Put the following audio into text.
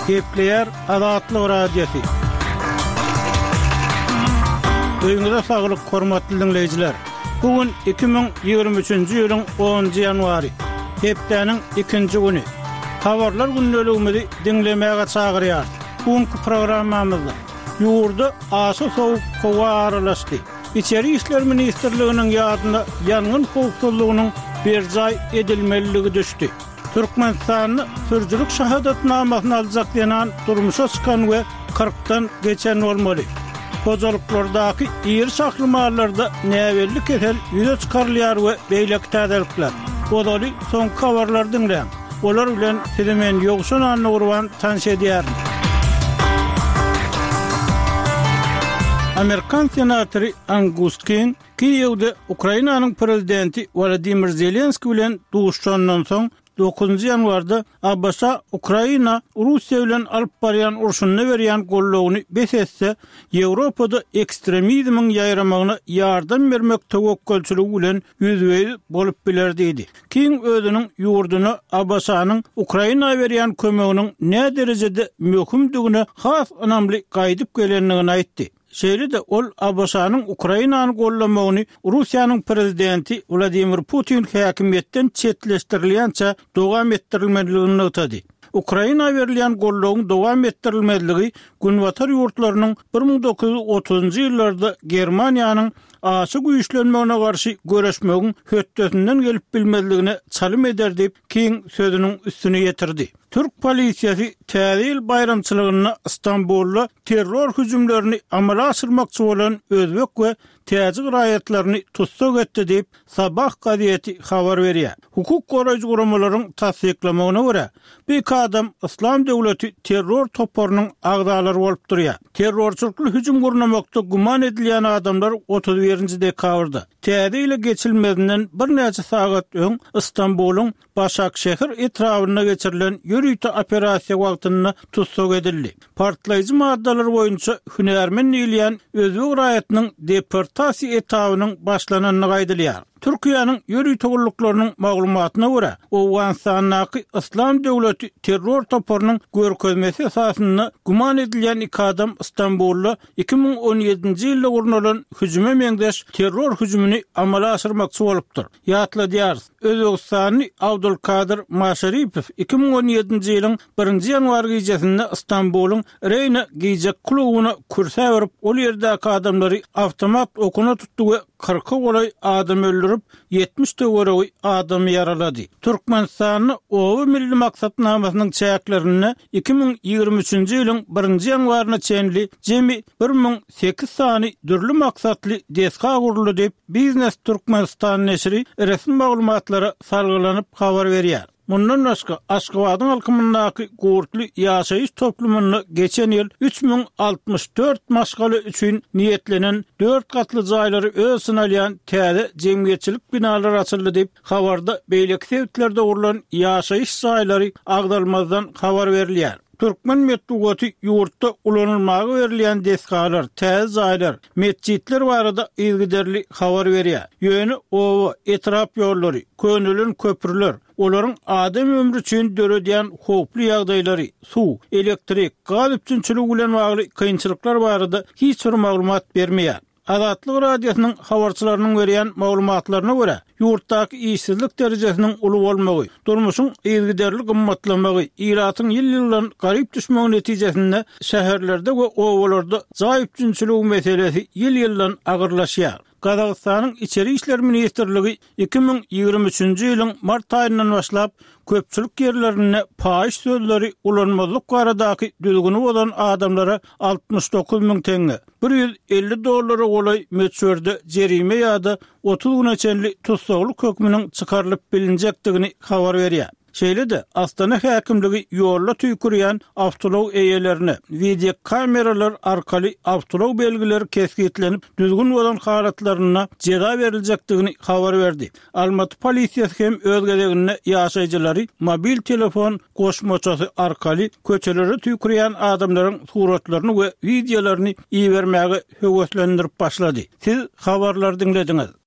Gepleýär Azatlyk Radiosy. Öýüňize saglyk, hormatly diňleýjiler! Bu gün 2023-nji ýylyň onunjy ýanwary, hepdäniň ikinji güni. Habarlar gündeligimizi diňlemäge çagyrýarys. Bu günki programmamyzda ýurda aşa sowuk howa aralaşdy. Içeri işler ministrliginiň ýadyna ýangyn howpsuzlygynyň berjaý edilmeliligi düşdi. Türkmenistanda sürüjilik şahadatnamasyny aljak zenan durmuşa çykan we kyrkdan geçen bolmaly. Hojalyklardaky iri şahly mallarda näbelli kesel ýüze çykarylýar we beýleki täzelikler. Ozaly soňky habarlary diňläň. Olar bilen sizi men Ýowşan Annagurban tanyş edýärin. Amerikan senatory Angus King Kiýewde Ukrainanyň prezidenti Wolodymyr Zelenskiý bilen duşuşandan soň, dokuzynjy ýanwarda ABŞ Ukraina Russiýa bilen alyp barýan urşunda berýän goldawyny bes etse, Ýewropada ekstremizmiň ýaýramagyna ýardam bermek töwekgelçiligi bilen ýüzbe-ýüz bolup biler diýdi. King özüniň ýurduna ABŞ-nyň Ukraina berýän kömeginiň näderejede möhümdigine has ynamly gaýdyp gelendigini aýtdy. Şeýle-de ol ABŞ-nyň Ukrainany goldamagyny Russiýanyň prezidenti Wladimir Putin häkimiýetden çetleşdirilýänçä dowam etdirilmelidigini nygtady. Ukraina berilýän goldawyň dowam etdirilmezligi Günbatar ýurtlarynyň 1930-njy ýyllarda Germaniýanyň aşa güýçlenmegine garşy göreşmegiň hötdesinden gelip bilmezligine çalym eder diýip, King sözüniň üstüni ýetirdi. Türk polisiýasy Täze ýyl baýramçylygynda Stambulda terror hüjümlerini amala aşyrmakçy bolan özbek we täjik raýatlaryny tussag etdi diýip, Sabah gazeti habar berýär. Hukuk goraýjy guramalaryň tassyklamagyna görä, bu iki adam Yslam döwleti terror toparynyň agzalary bolup durýar. Terrorçylykly hüjüm gurnamakda güman edilýän adamlar 31-nji dekabrda, Täze ýyla geçilmezinden birnäçe sagat öň Stambulyň Başakşehir etrabynda geçirilen ýörite operasiýa wagtynda tussag edildi. Partlaýjy maddalar boýunça hünärmen diýilýän özbek raýatynyň deportasiýa etabynyň başlanandygy aýdylýar. Türkiýäniň ýörite gulluklarynyň maglumatyna görä, Owganystandaky Yslam döwleti terror toparynyň görkezmesi esasynda güman edilýän iki adam Stambulda 2017-nji ýylda gurnalan hüjüme meňzeş terror hüjümini amala aşyrmakçy bolupdyr. Ýatladýarys, özbegistanly Abdulkadyr Maşaripow 2017-nji ýylyň birinji ýanwar gijesinde Stambulyň Reýna gije klubyna kürsä baryp, ol ýerdäki adamlary awtomat okuna tutdy we kyrka golaý adamy öldürip, 70 töweregi adamy ýaralady. Türkmenistanda Oba milli maksatnamasynyň çäklerinde 2023-nji ýylyň birinji ýanwaryna çenli jemi 1008 sany dürli maksatly desga guruldy diýip, Biznes Türkmenistan neşiri resmi maglumatlara salgylanyp habar berýär. Mundan başga, Aşgabadyň alkymyndaky Gurtly ýaşaýyş toplumynda geçen ýyl 3064 maşgala üçin niýetlenen dört gatly jaýlary öz içine alýan täze jemgyýetçilik binalary açyldy diýip, habarda beýleki sebitlerde gurlan ýaşaýyş jaýlary agzalmazdan habar berilýär. Türkmen metbugaty ýurtda ulanylmaga berilýän desgalar, täze jaýlar, metjitler barada yzygiderli habar berýär. Ýöne oba, etrap ýollary, könelen köprüler, olaryň adam ömri üçin döredýän howply ýagdaýlary, suw, elektrik, gaz üpjünçiligi bilen bagly kynçylyklar barada hiç bir maglumat bermeýär. Azatlyk Radiosynyň habarçylarynyň berýän maglumatlaryna görä, ýurtdaky işsizlik derejesiniň uly bolmagy, durmuşyň yzygiderli gymmatlamagy, ilatyň ýyl-ýyldan garyp düşmegi netijesinde şäherlerde we obalarda jaý üpjünçiligi meselesi ýyl-ýyldan agyrlaşýar. Gazagystanyň Içeri işler ministrligi 2023-nji ýylyň mart aýyndan başlap köpçülik ýerlerinde paýyş sözleri ulanmazlyk baradaky düzgüni bozan adamlara 69 müň teňňe, 150 dollara golaý möçberde jerime ýa-da 30 güne çenli tussaglyk hökmüniň çykarylyp bilinjekdigini habar berýär. Şeýle-de, Astana häkimligi ýolda tüýkürýän awtoulag eýelerine wideokameralar arkaly awtoulag belgileri kesgitlenip, düzgün bozan halatlarynda jeza beriljekdigini habar berdi. Almaty polisiýasy hem öz gezeginde ýaşaýjylary mobil telefon goşmaçasy arkaly köçelere tüýkürýän adamlaryň suratlaryny we wideolaryny ibermäge höweslendirip başlady. Siz habarlary diňlediňiz.